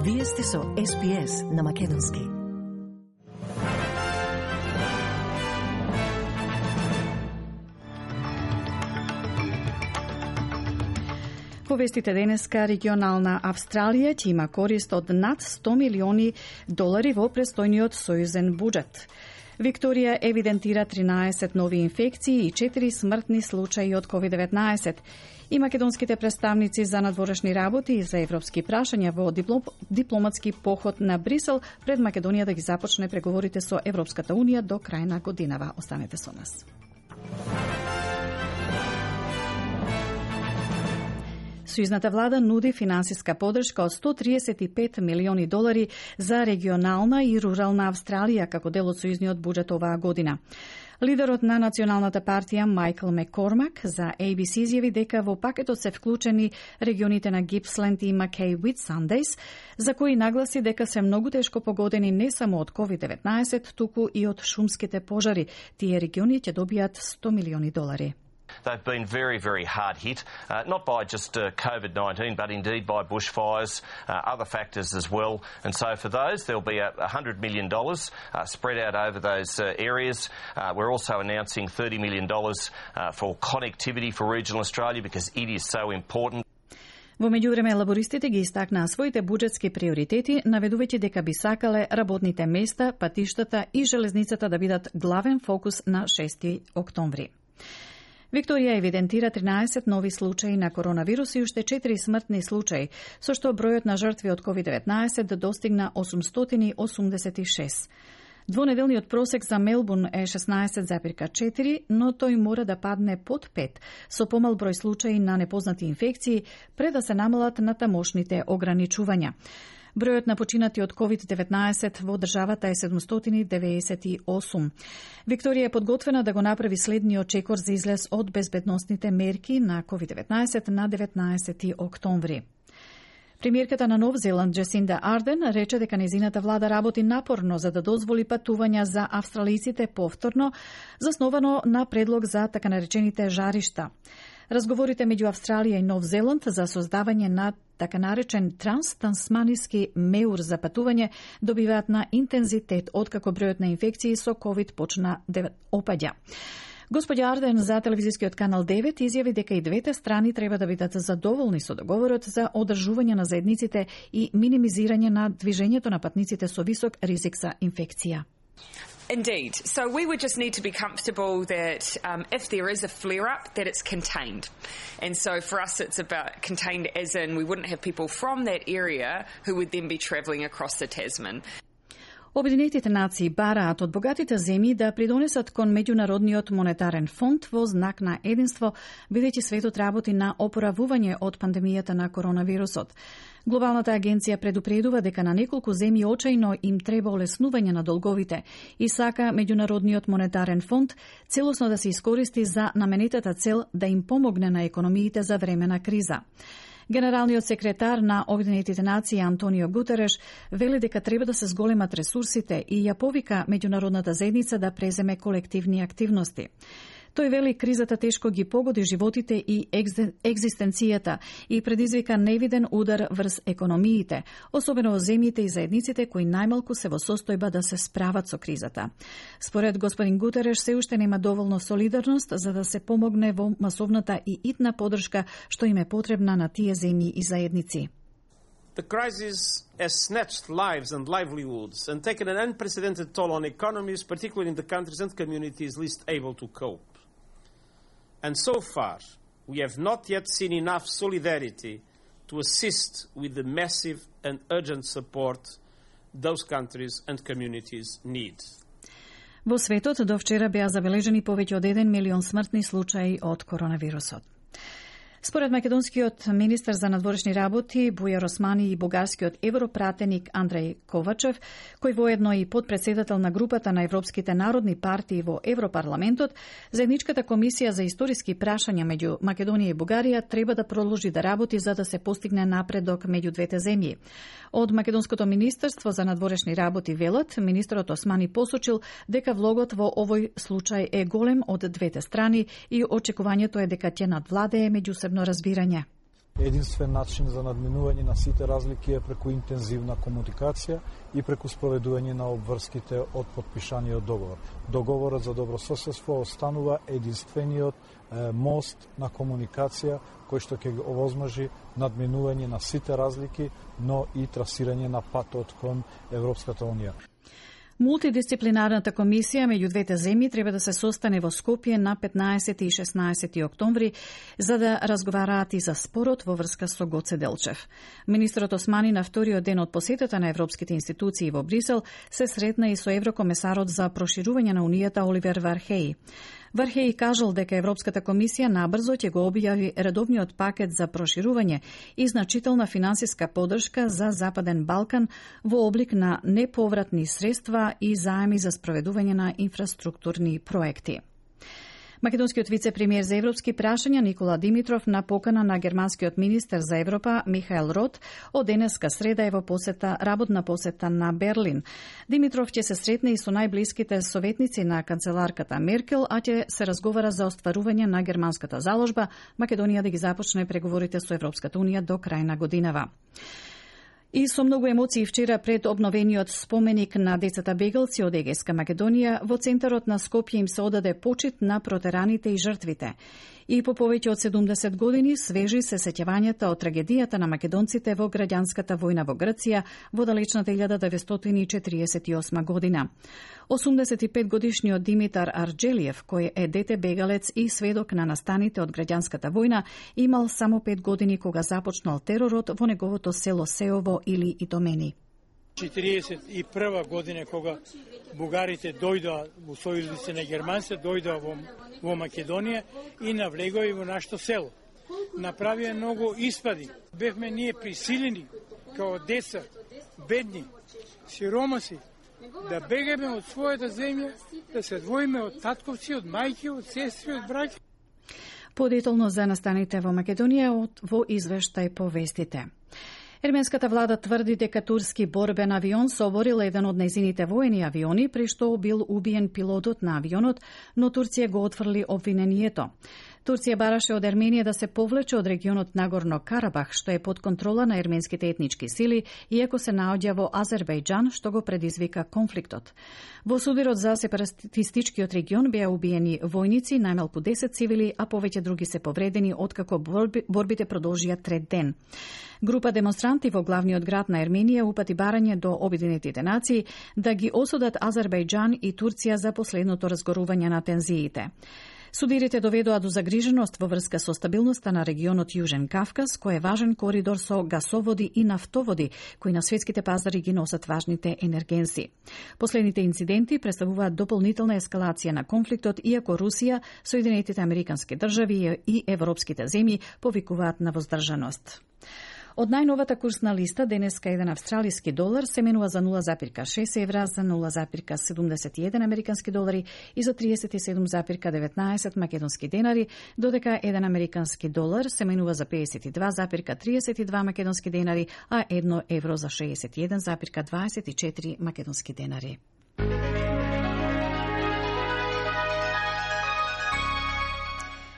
Вие сте со SPS на македонски. Во вестите денеска, регионална Австралија ќе има корист од над $100 милиони во престојниот сојузен буџет. Викторија евидентира 13 нови инфекции и 4 смртни случаи од COVID-19. И македонските представници за надворешни работи и за европски прашања во дипломатски поход на Брисел пред Македонија да ги започне преговорите со Европската Унија до крај на годинава. Останете со нас. Сојузната влада нуди финансиска поддршка од $135 милиони за регионална и рурална Австралија како дел од сојузниот буџет оваа година. Лидерот на Националната партија Майкл Маккормак за ABC изјави дека во пакетот се вклучени регионите на Гипсленд и Макеј Уитсандејс, за кои нагласи дека се многу тешко погодени не само од COVID-19, туку и од шумските пожари. Тие региони ќе добијат $100 милиони. They've been very, very hard hit, not by just COVID-19, but indeed by bushfires, other factors as well. And so for those, there'll be $100 million spread out over those areas. We're also announcing $30 million for connectivity for regional Australia because it is so important. Во меѓувреме, лабористите ги истакнаа своите буџетски приоритети, наведувајќи дека би сакале работните места, патиштата и железницата да бидат главен фокус на 6 октомври. Викторија евидентира 13 нови случаи на коронавирус и уште 4 смртни случаи, со што бројот на жртви од COVID-19 достигна 886. Двонеделниот просек за Мелбурн е 16,4, но тој мора да падне под 5, со помал број случаи на непознати инфекции, пред да се намалат на тамошните ограничувања. Бројот на починати од COVID-19 во државата е 798. Викторија е подготвена да го направи следниот чекор за излез од безбедносните мерки на COVID-19 на 19 октомври. Премиерката на Нов Зеланд Джесинда Арден рече дека незината влада работи напорно за да дозволи патувања за австралијците повторно, засновано на предлог за така наречените жаришта. Разговорите меѓу Австралија и Нов Зеланд за создавање на така наречен транстасманиски меур за патување добиваат на интензитет откако бројот на инфекции со COVID почна да опаѓа. Господја Арден за телевизискиот канал 9 изјави дека и двете страни треба да бидат задоволни со договорот за одржување на заедниците и минимизирање на движењето на патниците со висок ризик за инфекција. Indeed. So we would just need to be comfortable that if there is a flare-up, that it's contained. And so for us, it's about contained as in we wouldn't have people from that area who would then be travelling across the Tasman. Обединетите нации бараат од богатите земји да придонесат кон меѓународниот монетарен фонд во знак на единство, бидејќи светот работи на опоравување од пандемијата на коронавирусот. Глобалната агенција предупредува дека на неколку земји очајно им треба олеснување на долговите и сака меѓународниот монетарен фонд целосно да се искористи за наменетата цел да им помогне на економиите за време на криза. Генералниот секретар на Обединетите нации Антонио Гутереш вели дека треба да се зголемат ресурсите и ја повика меѓународната заедница да преземе колективни активности. Тој вели кризата тешко ги погоди животите и екзистенцијата и предизвика невиден удар врз економиите, особено во земјите и заедниците кои најмалку се во состојба да се справат со кризата. Според господин Гутереш се уште нема доволно солидарност за да се помогне во масовната и итна поддршка што им е потребна на тие земји и заедници. The crisis has snatched lives and livelihoods and taken an unprecedented toll on economies, particularly in the countries and communities least able to cope. And so far, we have not yet seen enough solidarity to assist with the massive and urgent support those countries and communities need. Во светот до вчера беа забележени повеќе од 1 милион смртни случаи од коронавирусот. Според македонскиот министер за надворешни работи Бујар Османи и бугарскиот европратеник Андреј Ковачев, кој воедно и подпредседател на групата на европските народни партии во Европарламентот, заедничката комисија за историски прашања меѓу Македонија и Бугарија треба да продолжи да работи за да се постигне напредок меѓу двете земји. Од Македонското министерство за надворешни работи велат, министерот Османи посочил дека влогот во овој случај е голем од двете страни и очекувањето е дека ќе надвладее меѓусебно разбирање. единствен начин за надминување на сите разлики е преку интензивна комуникација и преку спроведување на обврските од подпишаниот договор. Договорот за добрососедство останува единствениот мост на комуникација кој што ќе го овозможи надминување на сите разлики, но и трасирање на патот кон Европската унија. Мултидисциплинарната комисија меѓу двете земји треба да се состане во Скопје на 15 и 16 октомври за да разговараат и за спорот во врска со Гоце Делчев. Министерот Османи на вториот ден од посетата на европските институции во Брисел се сретна и со еврокомесарот за проширување на Унијата Оливер Вархеи. Вархеи кажал дека Европската комисија набрзо ќе го објави редовниот пакет за проширување и значителна финансиска поддршка за Западен Балкан во облик на неповратни средства и заеми за спроведување на инфраструктурни проекти. Македонскиот вице-премиер за европски прашања Никола Димитров на покана на германскиот министер за Европа Михаел Рот од денеска среда е во работна посета на Берлин. Димитров ќе се сретне и со најблиските советници на канцеларката Меркел, а ќе се разговара за остварување на германската заложба Македонија да ги започне преговорите со Европската унија до крај на годинава. И со многу емоции вчера пред обновениот споменик на децата бегалци од Егејска Македонија, во центарот на Скопје им се одаде почит на протераните и жртвите. И по повеќе од 70 години свежи се сеќавањата од трагедијата на македонците во граѓанската војна во Грција во далечната 1948 година. 85 годишниот Димитар Арџелиев, кој е дете бегалец и сведок на настаните од граѓанската војна, имал само 5 години кога започнал теророт во неговото село Сеово или Итомени. 41 година кога бугарите дојдоа во сојузници на германците, дојдоа во Македонија и навлегоа во нашето село. Направија многу испади. Бевме ние присилени као деца, бедни, сиромаси, да бегаме од својата земја, да се двоиме од татковци, од мајки, од сестри, од браќа. Подетолно за настаните во Македонија во извештај по вестите. Ерменската влада тврди дека турски борбен авион соборил еден од нејзините воени авиони, при што бил убиен пилотот на авионот, но Турција го отфрли обвинението. Турција бараше од Ерменија да се повлече од регионот Нагорно Карабах, што е под контрола на ерменските етнички сили, иако се наоѓа во Азербејџан, што го предизвика конфликтот. Во сударот за сепаратистичкиот регион беа убиени војници, најмалку 10 цивили, а повеќе други се повредени, откако борбите продолжија трет ден. Група демонстранти во главниот град на Ерменија упати барање до Обединетите нации да ги осудат Азербејџан и Турција за последното разгорување на тензиите. Судирите доведоа до загриженост во врска со стабилноста на регионот Јужен Кавказ, кој е важен коридор со гасоводи и нафтоводи, кои на светските пазари ги носат важните енергенси. Последните инциденти представуваат дополнителна ескалација на конфликтот, иако Русија, Соединетите Американски држави и европските земји повикуваат на воздржаност. Од најновата курсна листа, денеска еден австралиски долар се менува за 0,6 евра, за 0,71 американски долари и за 37,19 македонски денари, додека еден американски долар се менува за 52,32 македонски денари, а 1 евро за 61,24 македонски денари.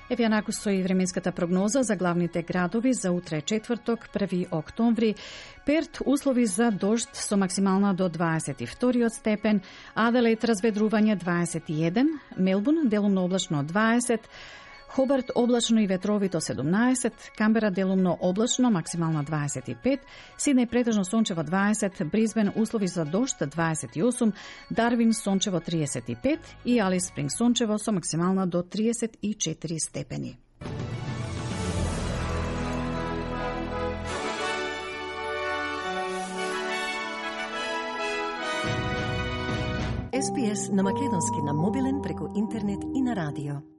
Еве јанаку со и временската прогноза за главните градови за утре четврток, 1 октомври. Перт услови за дожд со максимална до 22 степен, Аделаид разведрување 21, Мелбурн делумно облачно 20, Хобарт облачно и ветровито 17, Камбера делумно облачно, максимална 25, Сиднеј претежно сончево 20, Брисбен услови за дожд 28, Дарвин сончево 35 и Алис Спринг сончево со максимална до 34 степени. SPS на македонски на мобилен преку интернет и на радио.